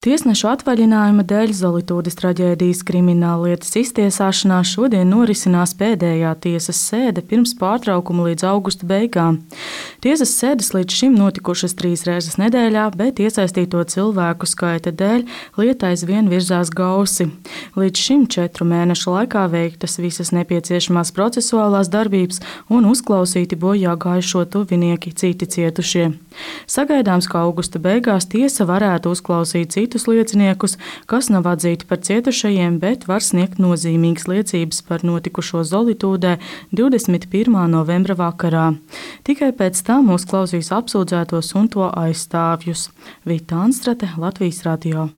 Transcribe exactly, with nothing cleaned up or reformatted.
Tiesnešu atvaļinājuma dēļ Zolitūdes traģēdijas krimināllietas iztiesāšanā šodien norisinās pēdējā tiesas sēde pirms pārtraukuma līdz augusta beigām. Tiesas sēdes līdz šim notikušas trīs reizes nedēļā, bet iesaistīto cilvēku skaita dēļ lieta aizvien virzās gausi. Līdz šim četru mēnešu laikā veiktas visas nepieciešamās procesuālās darbības un uzklausīti bojā gājušo tuvinieki, citi cietušie. Sagaidāms, ka augusta beigās tiesa varētu uzklausīt citus lieciniekus, kas nav atzīti par cietušajiem, bet var sniegt nozīmīgas liecības par notikušo Zolitūdē divdesmit pirmā novembra vakarā. Tikai pēc tam uzklausīs apsūdzētos un to aizstāvjus. Vita Anstrate, Latvijas radio.